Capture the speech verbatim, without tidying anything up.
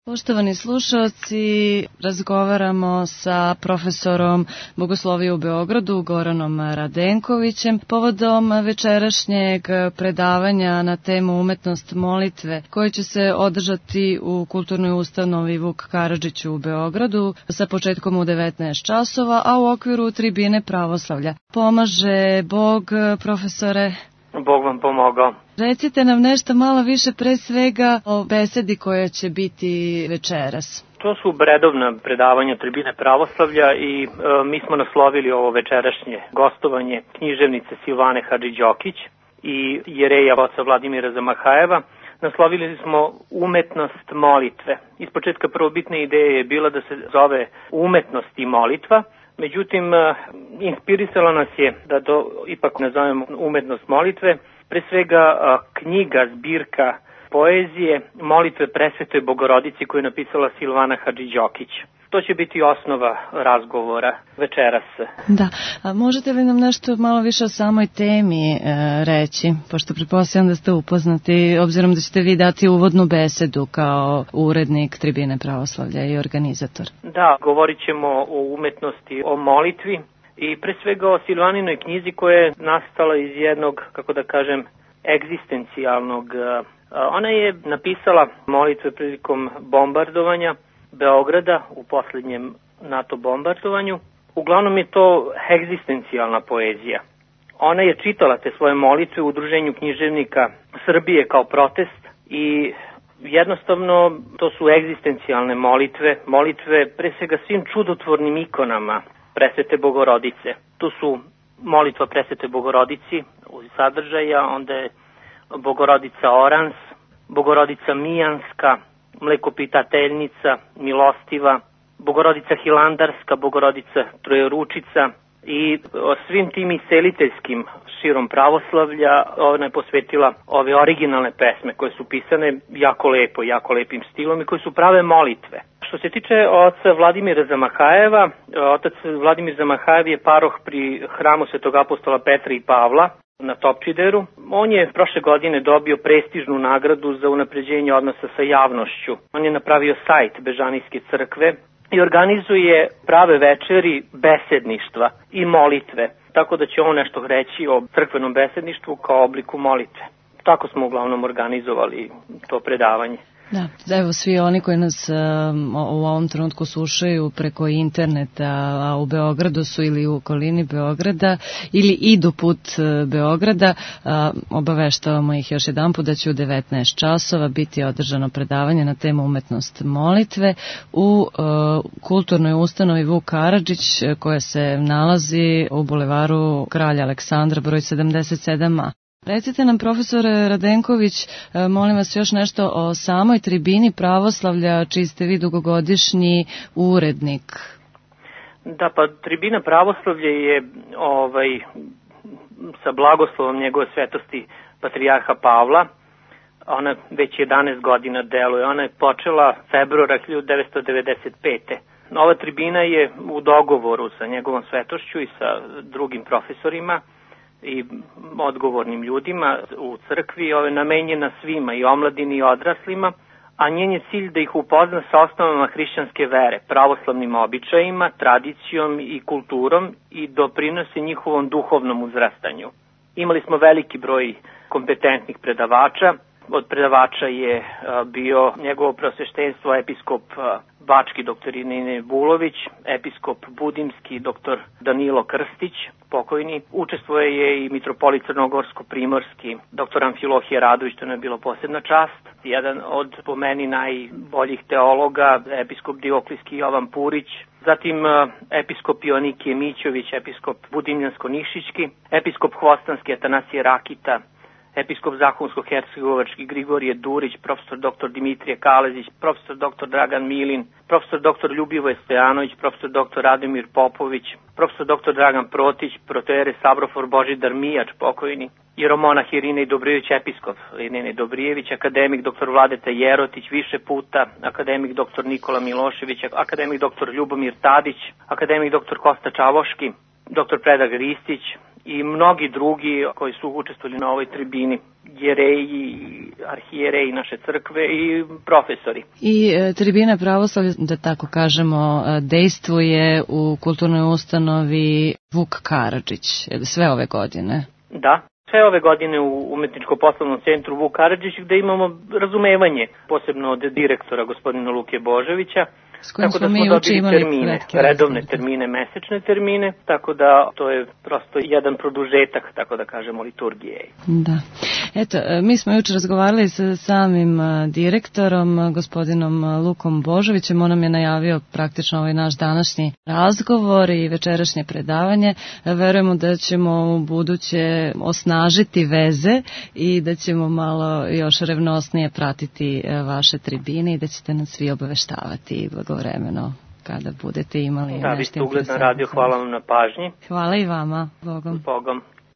Poštovani slušalci, razgovaramo sa profesorom bogoslovije u Beogradu, Goranom Radenkovićem, povodom večerašnjeg predavanja na temu umetnost molitve, koje će se održati u kulturnoj ustanovi Vuk Karadžić u Beogradu sa početkom u devetnaest časova, a u okviru tribine pravoslavlja. Pomaže Bog, profesore? Bog vam pomogao. Recite nam nešto malo više pre svega o besedi koja će biti večeras. To su redovna predavanja tribine pravoslavlja i e, mi smo naslovili ovo večerašnje gostovanje književnice Silvane Hadži-Đokić i jereja oca Vladimira Zamahajeva. Naslovili smo umetnost molitve. Ispočetka prvobitna ideja je bila da se zove umetnost i molitva. Međutim, inspirisalo nas je da to ipak nazovemo umetnost molitve, pre svega knjiga, zbirka poezije, molitve presvetoj Bogorodici koju je napisala Silvana Hadži-Đokić. To će biti osnova razgovora večeras. Da, a možete li nam nešto malo više o samoj temi e, reći, pošto pretpostavljam da ste upoznati, obzirom da ćete vi dati uvodnu besedu kao urednik tribine pravoslavlja i organizator. Da, govorit ćemo o umetnosti, o molitvi i pre svega o Silvaninoj knjizi koja je nastala iz jednog, kako da kažem, egzistencijalnog. Ona je napisala molitve prilikom bombardovanja Beograda u poslednjem NATO bombardovanju. Uglavnom je to egzistencijalna poezija. Ona je čitala te svoje molitve u Udruženju književnika Srbije kao protest i jednostavno to su egzistencijalne molitve, molitve pre svega svim čudotvornim ikonama Presvete Bogorodice. Tu su molitva Presvete Bogorodici u sadržaja, onda je Bogorodica Orans, Bogorodica Mijanska, Mlekopitateljnica, Milostiva, Bogorodica Hilandarska, Bogorodica Trojeručica i svim tim iseliteljskim širom pravoslavlja ona je posvetila ove originalne pesme koje su pisane jako lepo, jako lepim stilom i koje su prave molitve. Što se tiče oca Vladimira Zamahajeva, otac Vladimir Zamahajev je paroh pri hramu Svetog apostola Petra i Pavla na Topčideru. On je prošle godine dobio prestižnu nagradu za unapređenje odnosa sa javnošću. On je napravio sajt Bežanijske crkve i organizuje prave večeri besedništva i molitve. Tako da će on nešto reći o crkvenom besedništvu kao obliku molitve. Tako smo uglavnom organizovali to predavanje. Da, evo svi oni koji nas um, u ovom trenutku slušaju preko interneta, a u Beogradu su ili u okolini Beograda ili idu put uh, Beograda, uh, obaveštavamo ih još jedan put da će u devetnaest časova biti održano predavanje na temu umetnost molitve u uh, kulturnoj ustanovi Vuk Karadžić koja se nalazi u bulevaru Kralja Aleksandra broj sedamdeset sedam a. Recite nam, profesore Radenković, molim vas još nešto o samoj tribini pravoslavlja, čiji ste vi dugogodišnji urednik. Da, pa tribina pravoslavlja je ovaj, sa blagoslovom njegove svetosti patrijarha Pavla. Ona već jedanaest godina deluje. Ona je počela februara hiljadu devetsto devedeset pete. Ova tribina je u dogovoru sa njegovom svetošću i sa drugim profesorima i odgovornim ljudima u crkvi, ove namenjena svima, i omladini i odraslima, a njen je cilj da ih upozna sa osnovama hrišćanske vere, pravoslavnim običajima, tradicijom i kulturom i doprinosi njihovom duhovnom uzrastanju. Imali smo veliki broj kompetentnih predavača. Od predavača je bio njegovo preosveštenstvo episkop Bački doktor Nine Bulović, episkop Budimski doktor Danilo Krstić, pokojni. Učestvuje je i mitropolit Crnogorsko-Primorski doktor Amfilohije Radović, to nam je bilo posebna čast. Jedan od po meni najboljih teologa, episkop Dioklijski Jovan Purić, zatim episkop Ionikije Mićović, episkop Budimljansko-Nišićki, episkop Hvostanski Atanasije Rakita, episkop Zahumsko-Hercegovački Grigorije Durić, profesor doktor Dimitrije Kalezić, profesor doktor Dragan Milin, profesor doktor Ljubivoje Stojanović, profesor doktor Radomir Popović, profesor doktor Dragan Protić, protoere Sabrofor Božidar Mijač, pokojni, jeromonah Irinej Dobrijević, episkop Irinej Dobrijević, akademik doktor Vladeta Jerotić više puta, akademik doktor Nikola Milošević, akademik doktor Ljubomir Tadić, akademik doktor Kosta Čavoški, doktor Predrag Ristić i mnogi drugi koji su učestvovali na ovoj tribini, jereji, arhijereji naše crkve i profesori. I e, tribina pravoslavlja, da tako kažemo, dejstvuje u kulturnoj ustanovi Vuk Karadžić sve ove godine. Da. Sve ove godine u Umetničko-poslovnom centru Vuk Karadžić, gde imamo razumevanje, posebno od direktora gospodina Luke Božovića, tako da smo dobili termine, redovne termine, mesečne termine, tako da to je prosto jedan produžetak, tako da kažemo, liturgije. Da. Eto, mi smo juče razgovarali sa samim direktorom, gospodinom Lukom Božovićem, on nam je najavio praktično ovaj naš današnji razgovor i večerašnje predavanje. Verujemo da ćemo u buduće osnažiti veze i da ćemo malo još revnosnije pratiti vaše tribine i da ćete nas svi obaveštavati blagovremeno kada budete imali da, nešto vi ste ugledna radio, hvala vam na pažnji. Hvala i vama. Bogom. Bogom.